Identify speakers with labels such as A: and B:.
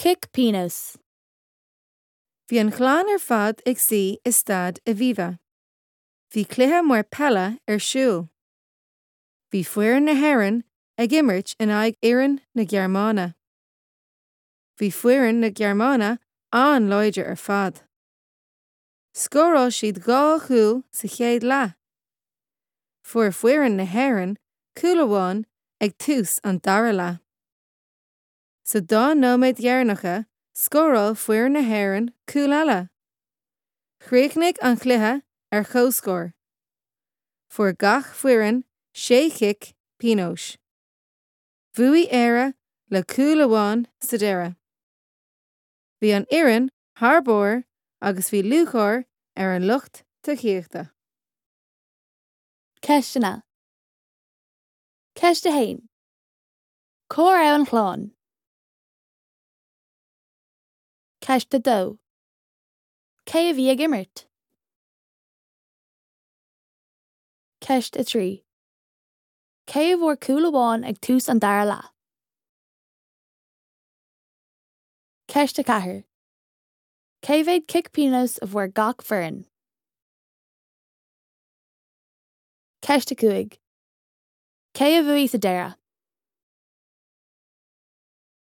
A: Cic pionóis.
B: Bhí an chlann ar fad ag suí i Staid Aviva. Bhí cluiche mór peile ar siúl. Bhí foireann na hÉireann ag imirt in aghaidh fhoireann na Gearmáine. Bhí foireann na Gearmáine an-láidir ar fad. Scóráil siad 2 chúl sa chéad leath. Fuair foireann na hÉireann cúl amháin ag tús an dara leath. Sa dá nóiméad dheireanacha, scóráil foireann na hÉireann cúl eile. Chríochnaigh an chluiche ar comhscór. Fuair gach foireann sé chic pionóis. Bhuaigh Éire le cúl amháin sa deireadh. Bhí an fhoireann thar barr agus bhí lúcháir ar an lucht tacaíochta.
A: Ceisteanna. Ceist 1. Cá raibh an chlann? Ceist 2. Cé a bhí ag imirt? Ceist 3. Cé a bhfuair cúl amháin ag tús an dara leath? Ceist 4. Cé mhéad cic pionóis a bhfuair gach foireann? Ceist 5. Cé a bhuaigh sa deireadh?